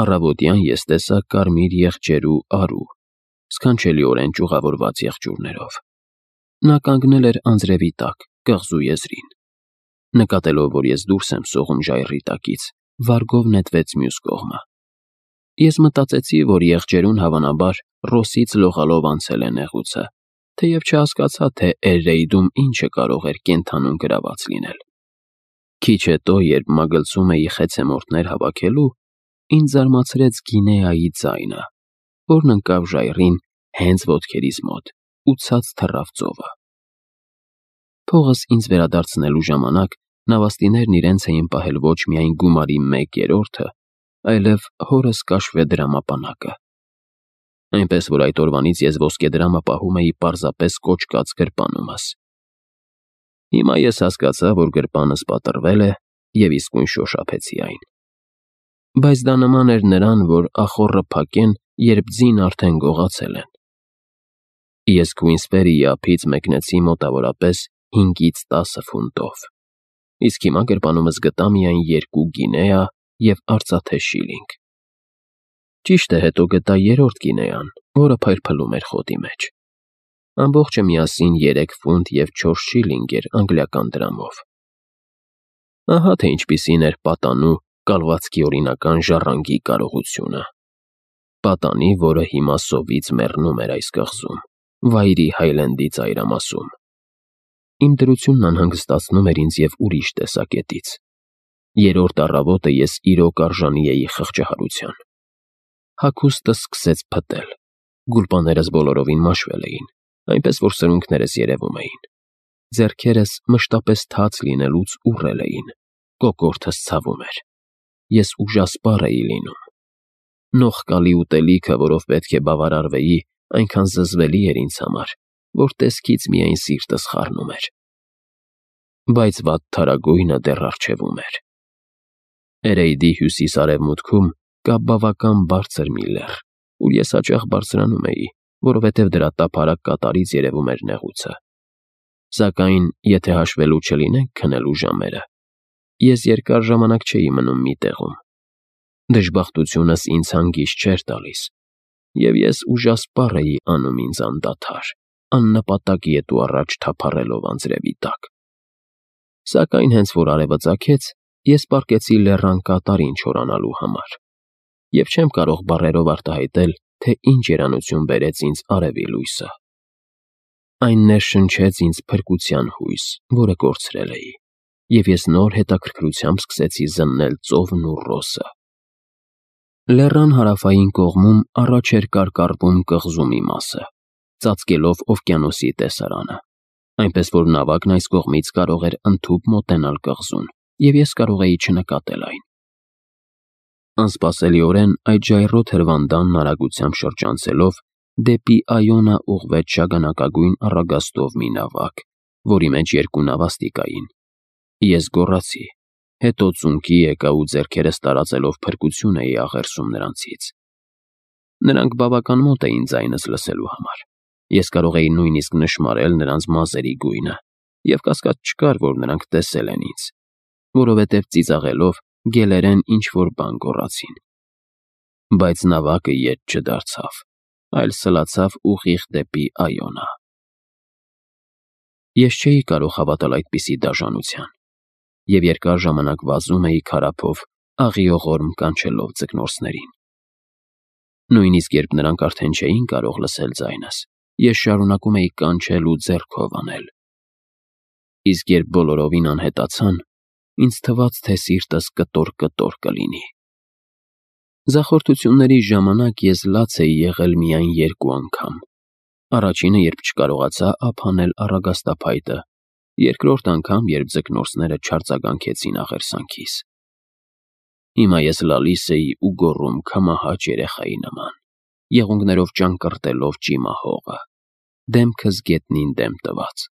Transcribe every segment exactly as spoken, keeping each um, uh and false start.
Առավոտյան ես տեսա կարմիր եղջերու արու, սքանչելիորեն ճյուղավորված եղջյուրներով։ Նա կանգնել էր անձրևի տակ, կղզու եզրին։ Նկատելով, որ ես դուրս եմ սողում ժայռի տակից, վարգով նետվեց մյուս կողմը։ Ես մտածեցի, որ եղջերուն հավանաբար Ռոսից լողալով անցել է նեղուցը, թեև չհասկացա, թե Էրրեյդում ինչը կարող էր կենդանուն գրաված լինել։ Քիչ հետո, երբ մագլցում էի խեցեմորտներ հավաքելու, ինձ զարմացրեց Գինեայի ձայնը, որն ընկավ ժայռին հենց ոտքերիս մոտ ու ցած թռավ ծովը։ Փողս ինձ վերադարձնելու ժամանակ նավաստիներն իրենց էին պահել ոչ միայն գումարի մեկ երրորդը, այլև հորս կաշվե դրամապանակը։ Այնպես որ այդ օրվանից ես ոսկեդրամը պահում էի պարզապես կոճկած գրպանումս։ Հիմա ես հասկացա, որ գրպանս պատռվել է և իսկույն շոշափեցի այն։ Բայց դա նման էր նրան, որ ախոռը փակեն, երբ ձին արդեն գողացել են։ Ես Քվինսբերիի ափից մեկնեցի մոտավորապես հինգից տասը ֆունտով, իսկ հիմա գրպանումս գտա միայն երկու գինեա և արծաթե շիլինգ։ Ճիշտ է, հետո գտա երրորդ գինեան, որը փայլփլում էր խոտի մեջ։ Ամբողջը միասին երեք ֆունտ և չորս շիլինգ էր անգլիական դրամով։ Ահա թե ինչպիսին էր պատանու կալվածքի օրինական ժառանգի կարողությունը։ Պատանի, որը հիմա սովից մեռնում էր այս կղզում, Վայրի Հայլենդի ծայրամասում։ Իմ դրությունն անհանգստացնում էր ինձ և ուրիշ տեսակետից։ Երրորդ առավոտը ես իրոք արժանի էի խղճահարության։ Հագուստս սկսեց փտել, գուլպաներս բոլորովին մաշվել էին, այնպես որ սրունքներս երևում էին։ Ձեռքերս մշտապես թաց լինելուց ուռել էին, կոկորդս ցավում էր։ Ես ուժասպառ էի լինում։ Նողկալի ուտելիքը, որով պետք է բավարարվեի, այնքան զզվելի էր ինձ համար, որ տեսքից միայն սիրտս խառնում էր։ Բայց վատթարագույնը դեռ առջևում էր։ Էրեյդի հյուսիս֊արևմուտքում կա բավական բարձր մի լեռ, ուր ես հաճախ բարձրանում էի, որովհետև դրա տափարակ կատարից երևում էր նեղուցը։ Սակայն, եթե հաշվելու չլինենք քնելու ժամերը, ես երկար ժամանակ չէի մնում մի տեղում։ Դժբախտությունս ինձ հանգիստ չէր տալիս, և ես ուժասպառ էի անում ինձ անդադար, աննպատակ ետ ու առաջ թափառելով անձրևի տակ։ Սակայն հենց որ արևը ծագեց, ես պառկեցի լեռան կատարին չորանալու համար, և չեմ կարող բառերով արտահայտել, թե ինչ երանություն բերեց ինձ արևի լույսը։ Այն ներշնչեց ինձ փրկության հույս, որը կորցրել էի, և ես նոր հետաքրքրությամբ սկսեցի զննել ծովն ու Ռոսը։ Լեռան հարավային կողմում առաջ էր կարկառվում կղզու մի մասը, ծածկելով օվկիանոսի տեսարանը, այնպես որ նավակն այս կողմից կարող էր ընդհուպ մոտենալ կղզուն, և ես կարող էի չնկատել այն։ Անսպասելիորեն այդ ժայռոտ հրվանդանն արագությամբ շրջանցելով, դեպի Այոնա ուղղվեց շագանակագույն առագաստով մի նավակ, որի մեջ երկու նավաստի կային։ Ես գոռացի, հետո ծունկի եկա ու ձեռքերս տարածելով փրկություն էի աղերսում նրանցից։ Նրանք բավական մոտ էին ձայնս լսելու համար։ Ես կարող էի նույնիսկ նշմարել նրանց մազերի գույնը, և կասկած չկար, որ նրանք տեսել են ինձ, որովհետև ծիծաղելով գելերեն ինչ-որ բան գոռացին։ Բայց նավակը ետ չդարձավ, այլ սլացավ ուղիղ դեպի Այոնա։ Ես չէի կարող հավատալ այդպիսի դաժանության, և երկար ժամանակ վազում էի քարափով, աղիողորմ կանչելով ձկնորսներին։ Նույնիսկ երբ նրանք արդեն չէին կարող լսել ձայնս, ես շարունակում էի կանչել ու ձեռքով անել։ Իսկ երբ բոլորովին անհետացան, ինձ թվաց, թե սիրտս կտոր-կտոր կլինի։ Ձախորդությունների ժամանակ ես լաց էի եղել միայն երկու անգամ։ Առաջինը, երբ չկարողացա ափ հանել առագաստափայտը, երկրորդ անգամ, երբ ձկնորսները չարձագանքեցին աղերսանքիս։ Հիմա ես լալիս էի ու գոռում քամահաճ երեխայի նման, եղունգներով ճանկռտելով ճիմահողը, դեմքս գետնին դեմ տված։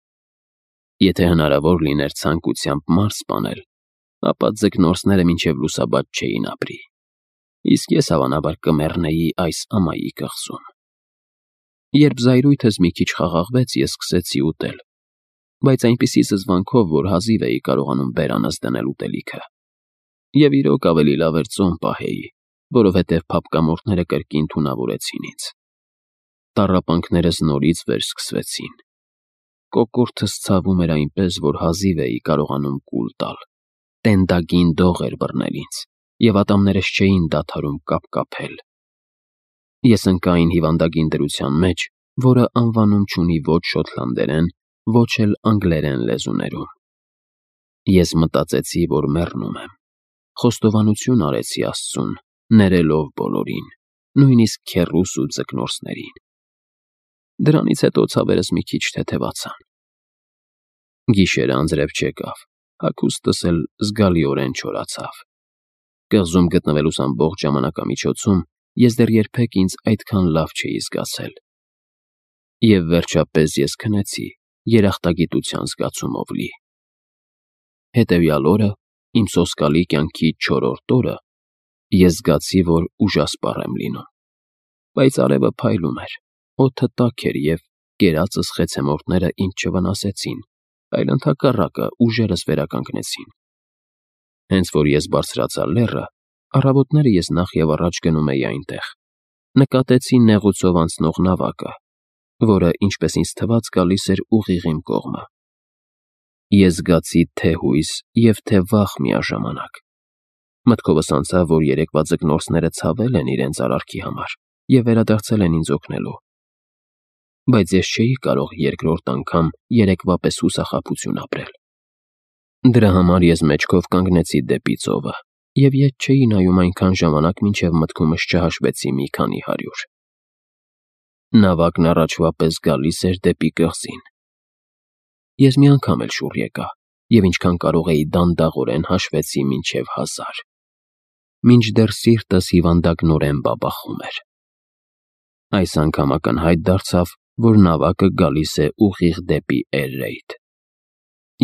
Եթե հնարավոր լիներ ցանկությամբ մարդ սպանել, ապա ձկնորսները մինչև լուսաբաց չէին ապրի, իսկ ես հավանաբար կմեռնեի այս ամայի կղզում։ Երբ զայրույթս մի քիչ խաղաղվեց, ես սկսեցի ուտել, բայց այնպիսի զզվանքով, որ հազիվ էի կարողանում բերանս դնել ուտելիքը։ Եվ իրոք ավելի լավ էր ծոմ պահեի, որովհետև փափկամորթները կրկին թունավորեցին ինձ։ Տառապանքներս նորից վերսկսվեցին։ Կոկորդս ցավում էր այնպես, որ հազիվ էի կարողանում կուլ տալ։ Տենդագին դող էր բռնել ինձ, և ատամներս չէին դադարում կապկապել։ Ես ընկա այն հիվանդագին դրության մեջ, որը անվանում չունի ոչ շոտլանդերեն, ոչ էլ անգլերեն լեզուներում։ Ես մտածեցի, որ մեռնում եմ։ Խոստովանություն արեցի Աստծուն, ներելով բոլորին, նույնիսկ քեռուս ու ձկնորսներին։ Դրանից հետո ցավերս մի քիչ թեթևացան։ Գիշերը անձրև չեկավ, հագուստս էլ զգալիորեն չորացավ։ Կղզում գտնվելուս ամբողջ ժամանակամիջոցում ես դեռ երբեք ինձ այդքան լավ չէի զգացել։ Եվ վերջապես ես քնեցի, երախտագիտության զգացումով լի։ Հետևյալ օրը, իմ սոսկալի կյանքի չորրորդ օրը, ես զգացի, որ ուժասպառ եմ լինում։ Բայց արևը փայլում էր, օդը տաք էր և կերածս խեցեմորտները ինձ չվնասեցին, այլ ընդհակառակը ուժերս վերականգնեցին։ Հենց որ ես բարձրացա լեռը, առավոտները ես նախ և առաջ գնում էի այնտեղ, նկատեցի նեղուցով անցնող նավակը, որը, ինչպես ինձ թվաց, գալիս էր ուղիղ իմ կողմը։ Ես զգացի թե հույս և թե վախ միաժամանակ։ Մտքովս անցավ, որ երեկվա ձկնորսները ցավել են իրենց արարքի համար և վերադարձել են ինձ օգնելու։ Բայց ես չէի կարող երկրորդ անգամ երեկվա պես հուսախաբություն ապրել։ Դրա համար ես մեջքով կանգնեցի դեպի ծովը և ետ չէի նայում այնքան ժամանակ, մինչև մտքումս չհաշվեցի մի քանի հարյուր։ Նավակն առաջվա պես գալիս էր դեպի կղզին։ Ես մի անգամ էլ շուռ եկա և ինչքան կարող էի դանդաղորեն հաշվեցի մինչև հազար։ Մինչդեռ սիրտս հիվանդագնորեն բաբախում էր։ Այս անգամ ակնհայտ դարձավ, որ նավակը գալիս է ուղիղ դեպի Էրրեյդ։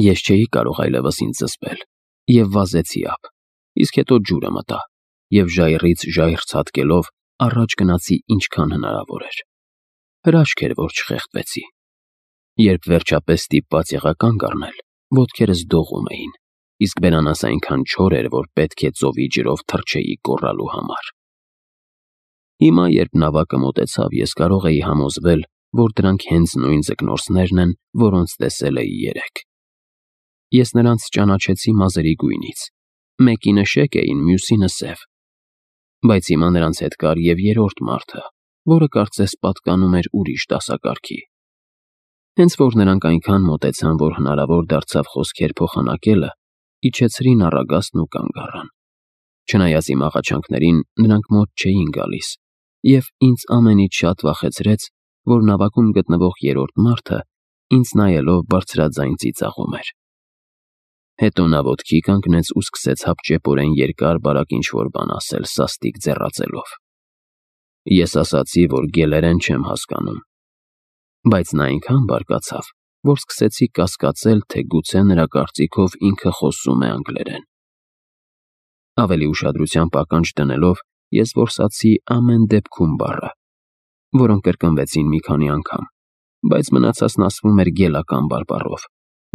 Ես չէի կարող այլևս ինձ զսպել և վազեցի ափ, իսկ հետո ջուրը մտա և ժայռից ժայռ ցատկելով առաջ գնացի ինչքան հնարավոր էր։ Հրաշք էր, որ չխեղդվեցի։ Երբ վերջապես ստիպված եղա կանգ առնել, ոտքերս դողում էին, իսկ բերանս այնքան չոր էր, որ պետք է ծովի ջրով թռչեի գոռալու համար։ Հիմա, երբ նավակը մոտեցավ, ես կարող էի համոզվել, որ դրանք հենց նույն ձկնորսներն են, որոնց տեսել էի երեկ։ Ես նրանց ճանաչեցի մազերի գույնից, մեկինը շեկ էին, մյուսինը սև։ Բայց հիմա նրանց հետ կար և երրորդ մարդը, որը կարծես պատկանում էր ուրիշ դասակարգի։ Հենց որ նրանք այնքան մոտեցան, որ հնարավոր դարձավ խոսքեր փոխանակելը, իջեցրին առագաստն ու կանգ առան։ Չնայած իմ աղաչանքներին, նրանք մոտ չէին գալիս, և ինձ ամենից շատ վախեցրեց, որ նավակում գտնվող երրորդ մարդը ինձ նայելով բարձրաձայն ծիծաղում էր։ Հետո նա ոտքի կանգնեց ու սկսեց հապճեպորեն երկար-բարակ ինչ-որ բան ասել սաստիկ ձեռաձելով։ Ես ասացի, որ գելերեն չեմ հասկանում, բայց նա այնքան բարկացավ, որ սկսեցի կասկածել, թե գուցե նրա կարծիքով ինքը խոսում է անգլերեն։ Ավելի ուշադրությամբ ականջ դնելով, ես որսացի ամեն դեպքում բառը, որոնք կրկնվեցին մի քանի անգամ, բայց մնացածն ասվում էր գելական բարբառով,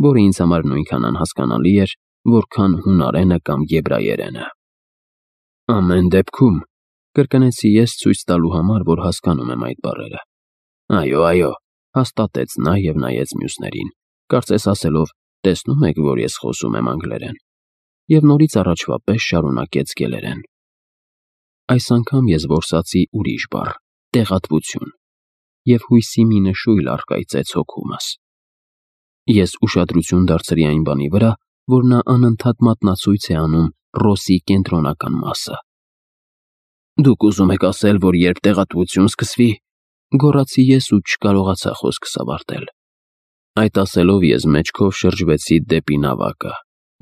որը ինձ համար նույնքան անհասկանալի էր, որքան հունարենը կամ եբրայերենը։ Ամեն դեպքում, կրկնեցի ես ցույց տալու համար, որ հասկանում եմ այդ բառերը։ Այո, այո, հաստատեց նա և նայեց մյուսներին, կարծես ասելով. տեսնում եք, որ ես խոսում եմ անգլերեն, և նորից առաջվա պես շարունակեց գելերեն։ Այս անգամ ես որսացի ուրիշ բառ՝ տեղատվություն, և հույսի մի նշույլ առկայծեց հոգումս։ Ես ուշադրություն դարձրի այն բանի վրա, որ նա անընդհատ մատնացույց է անում Ռոսի կենտրոնական մասը։ Դուք ուզում եք ասել, որ երբ տեղատվություն սկսվի, գոռացի ես ու չկարողացա խոսքս ավարտել։ Այդ ասելով ես մեջքով շրջվեցի դեպի նավակը,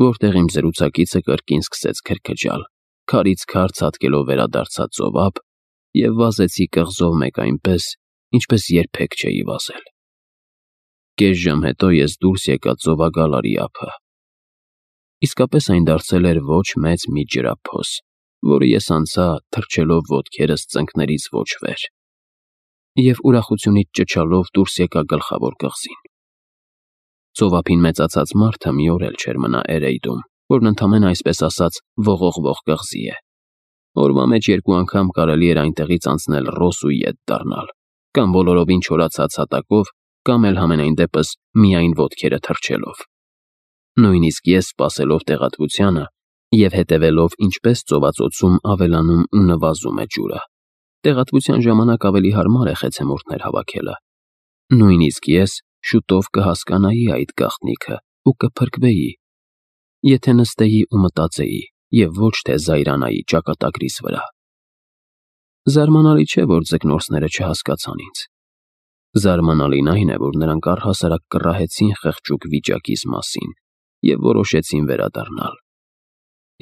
որտեղ իմ զրուցակիցը կրկին սկսեց քրքջալ, քարից քար ցատկելով վերադարձա ծով ափ և վազեցի կղզով մեկ այնպես, ինչպես երբեք չէի վազել։ Կես ժամ հետո ես դուրս եկա ծովագալարի ափը։ Իսկապես այն դարձել էր ոչ մեծ մի ջրափոս, որը ես անցա, թռչելով ոտքերս ծնկներից ոչ վեր, և ուրախությունից ճչալով դուրս եկա գլխավոր կղզին։ Ծովափին մեծացած մարդը մի օր էլ չէր մնա Էրեյդում, որն ընդամենը այսպես ասած ողողվող կղզի է։ Օրվա մեջ երկու անգամ կարելի էր այնտեղից անցնել ռոս ու ետ դառնալ, կամ բոլորովին չորացած հատակով, կամ էլ համենայն դեպս միայն ոտքերը թռչելով։ Նույնիսկ ես, սպասելով տեղատվությանը և հետևելով ինչպես ծովածոցում ավելանում ու նվազում է ջուրը, տեղատվության ժամանակ ավելի հարմար է խեցեմուրդներ հավաքելը։ Նույնիսկ ես շուտով կհասկանայի այդ գաղտնիքը ու կփրկվեի, եթե նստեի ու մտածեի և ոչ թե զայրանայի ճակատագրիս վրա։ Զարմանալի չէ, որ ձկնորսները չհասկացան ինձ։ Զարմանալին այն է, որ նրանք առհասարակ կռահեցին խղճուկ վիճակիս մասին և որոշեցին վերադառնալ։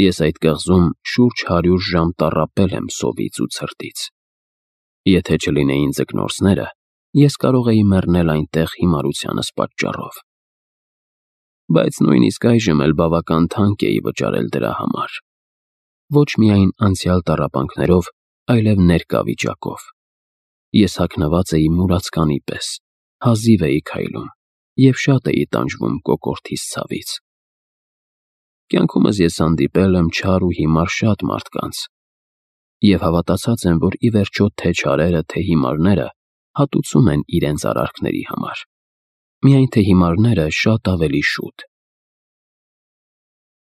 Ես այդ կղզում շուրջ հարյուր ժամ տառապել եմ սովից ու ցրտից։ Եթե չլինեին ձկնորսները, ես կարող էի մեռնել այնտեղ հիմարությանս պատճառով։ Բայց նույնիսկ այժմ էլ բավական թանկ էի վճարել դրա համար։ Ոչ միայն անցյալ տառապանքներով, այլև ներկա վիճակով։ Ես հագնված էի մուրացկանի պես, հազիվ էի քայլում և շատ էի տանջվում կոկորդիս ցավից։ Կյանքումս ես հանդիպել եմ չար ու հիմար շատ մարդկանց և հավատացած եմ, որ ի վերջո թե չարերը, թե հիմարները հատուցում են իրենց արարքների համար, միայն թե հիմարները շատ ավելի շուտ։